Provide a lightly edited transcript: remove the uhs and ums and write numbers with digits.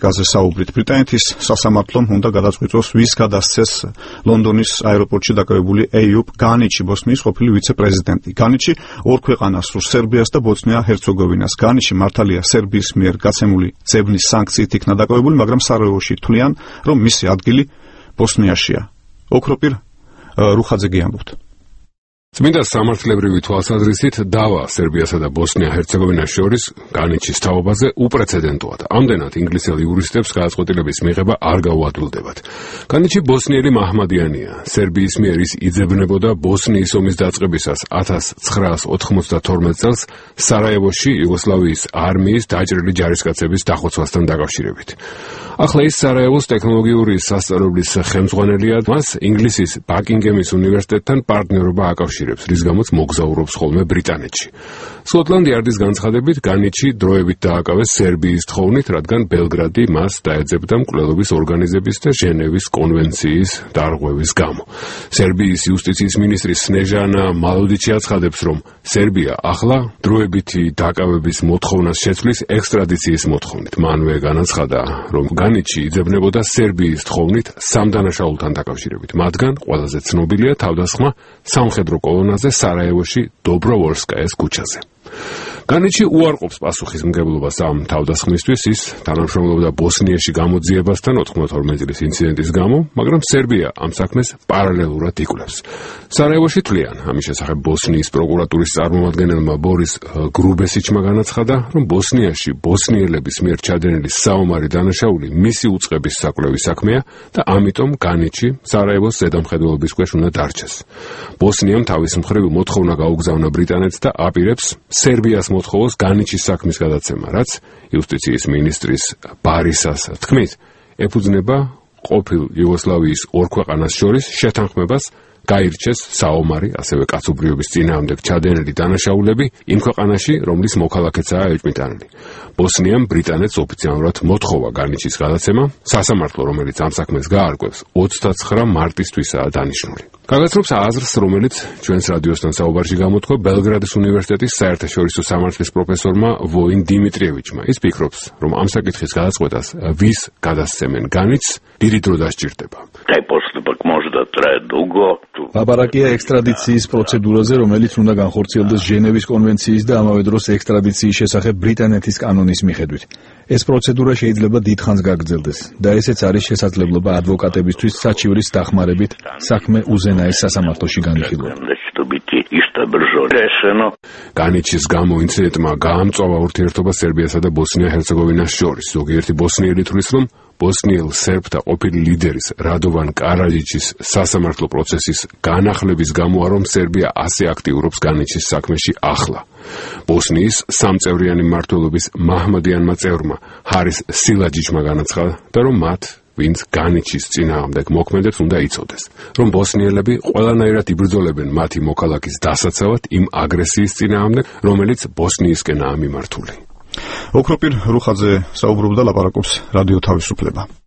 პოლიტიკაზე საუბრით. ბრიტანეთის სასამართლომ უნდა გადაწყვიტოს, ვის გადასცეს ლონდონის აეროპორტში დაკავებული ეიუბ განიჩი, ბოსნიის ყოფილი ვიცე-პრეზიდენტი. განიჩი ორ ქვეყანას სურს, სერბიას და ბოსნია-ჰერცეგოვინას. განიჩი მართალია სერბიის მიერ გაცემული ძებნის სანქციით იქნა დაკავებული, მაგრამ სარაევოში თვლიან, რომ მისი ადგილი ბოსნიაშია. ოქროპირ რუხაძე ამბობთ. წმინდა სამართლებრივი თვალსაზრისით დავა სერბიასა და ბოსნია-ჰერცეგოვინას შორის განიჩის თაობაზე უპრეცედენტოა. ამდენად ინგლისელ იურისტებს გადაწყვეტილების მიღება არ გაუადვილდებათ. განიჩი ბოსნიელი მაჰმადიანია. სერბიის მიერ ის იძებნებოდა ბოსნიის ომის დაწყებისას 1992 წელს სარაევოში იუგოსლავიის არმიის დაჭრილი ჯარისკაცების დახოცვასთან დაკავშირებით. ახლა ის სარაევოს ტექნოლოგიური სასწავლებლის ხელმძღვანელია, მას ინგლისის ბაკინგემის უნივერსიტეტთან პარტნიორობა აკავშირებს, რის გამოც მოგზაურობს ხოლმე ბრიტანეთში. სკოტლანდი არდის განცხადებით, განიჩი დროებით დააკავეს სერბიის თხოვნით, რადგან ბელგრადი მას დაეძებდა მკვლელობის ორგანიზების და ჟენევის კონვენციის დარღვევის გამო. სერბიის იუსტიციის მინისტრი სნეჟანა მალოდიჩი აცხადებს, რომ სერბია ახლა დროებითი დაკავების მოთხოვნას შეცვლის ექსტრადიციის მოთხოვნით. მანვე განაცხადა, რომ განიჩი იძებნებოდა სერბიის თხოვნით სამ დანაშაულთან დაკავშირებით. მათგან ყველაზე ცნობილია თავდასხმა სამხედრო კოლონაზე სარაევოში დობროვოლსკაიას ქუჩაზე. განიჩი უარყოფს პასუხისმგებლობას ამ თავდასხმისთვის, ის თანამშრომლობდა ბოსნიაში გამოძიებასთან 92 წლის ინციდენტის გამო, მაგრამ სერბია ამ საქმეს პარალელურად იკვლევს. სარაევოში თვლიან, ამის შესახებ ბოსნიის პროკურატურის წარმომადგენელმა ბორის გრუბესიჩმა განაცხადა, რომ ბოსნიაში ბოსნიელების მიერ ჩადენილი საომარი დანაშაული მისი უწყების საკვლევის საქმეა და ამიტომ განიჩი სარაევოს ზედამხედველობის ქვეშ უნდა დარჩეს. ბოსნიამ თავის მხრივ მოთხოვნა გაუგზავნა ბრიტანეთს და აპირებს სერბიას მოთხოვოს განიჩის საქმის გადაცემა, რაც იუსტიციის მინისტრის ბარისას თქმით, ეფუძნება ყოფილ იუგოსლავიის ორ ქვეყანას შორის შეთანხმებას გაირჩეს საომარი, ასევე კაცობრიობის წინააღმდეგ ჩადენილი დანაშაულები იმ ქვეყანაში, რომლის მოქალაქეცაა ეჭვმიტანილი. ბოსნიამ ბრიტანეთს ოფიციალურად მოთხოვა განიჩის გადაცემა, სასამართლო, რომელიც ამ საქმეს გაარკვევს, 29 მარტისთვისაა დანიშნული. გაგაცნობს აზრს, რომელიც ჩვენს რადიოსთან საუბარში გამოთქვა ბელგრადის უნივერსიტეტის საერთაშორისო სამართლის პროფესორმა ვოინ დიმიტრიევიჩმა. ის ფიქრობს, რომ ამ საკითხის გადაწყვეტას ვის გადასცემენ განიჩს, დიდი დრო დასჭირდება. ლაპარაკია ექსტრადიციის პროცედურაზე, რომელიც უნდა განხორციელდეს ჟენევის კონვენციის და ამავე დროს ექსტრადიციის შესახებ ბრიტანეთის კანონის მიხედვით. ეს პროცედურა შეიძლება დიდხანს გაგრძელდეს და ესეც არის შესაძლებლობა ადვოკატებისთვის საჩივრის დახმარებით საქმე უზენაეს სასამართლოში განიხილვა. განიჩის გამო ინციდენტმა გაამწვავა ურთიერთობა სერბიასა და ბოსნია-ჰერცეგოვინას შორის. ზოგიერთი ბოსნიელი თვლის, რომ ბოსნიელ სერბთა ყოფილი ლიდერის რადოვან კარაჯიჩის სასამართლო პროცესის განახლების გამოა, რომ სერბია ასე აქტიურობს განიჩის საქმეში ახლა. ბოსნიის სამწევრიანი მმართველობის მაჰმადიანმა წევრმა ჰარის სილაჯიჩმა განაცხადა, რომ მათ ვინც განიჩის წინააღმდეგ მოქმედებს უნდა იცოდეს, რომ ბოსნიელები ყველანაირად იბრძოლებენ მათი მოქალაქის დასაცავად იმ აგრესიის წინააღმდეგ, რომელიც ბოსნიისკენაა მიმართული. ოქროპირ რუხაძე საუბრობდა, ლაპარაკობს რადიო თავისუფლება.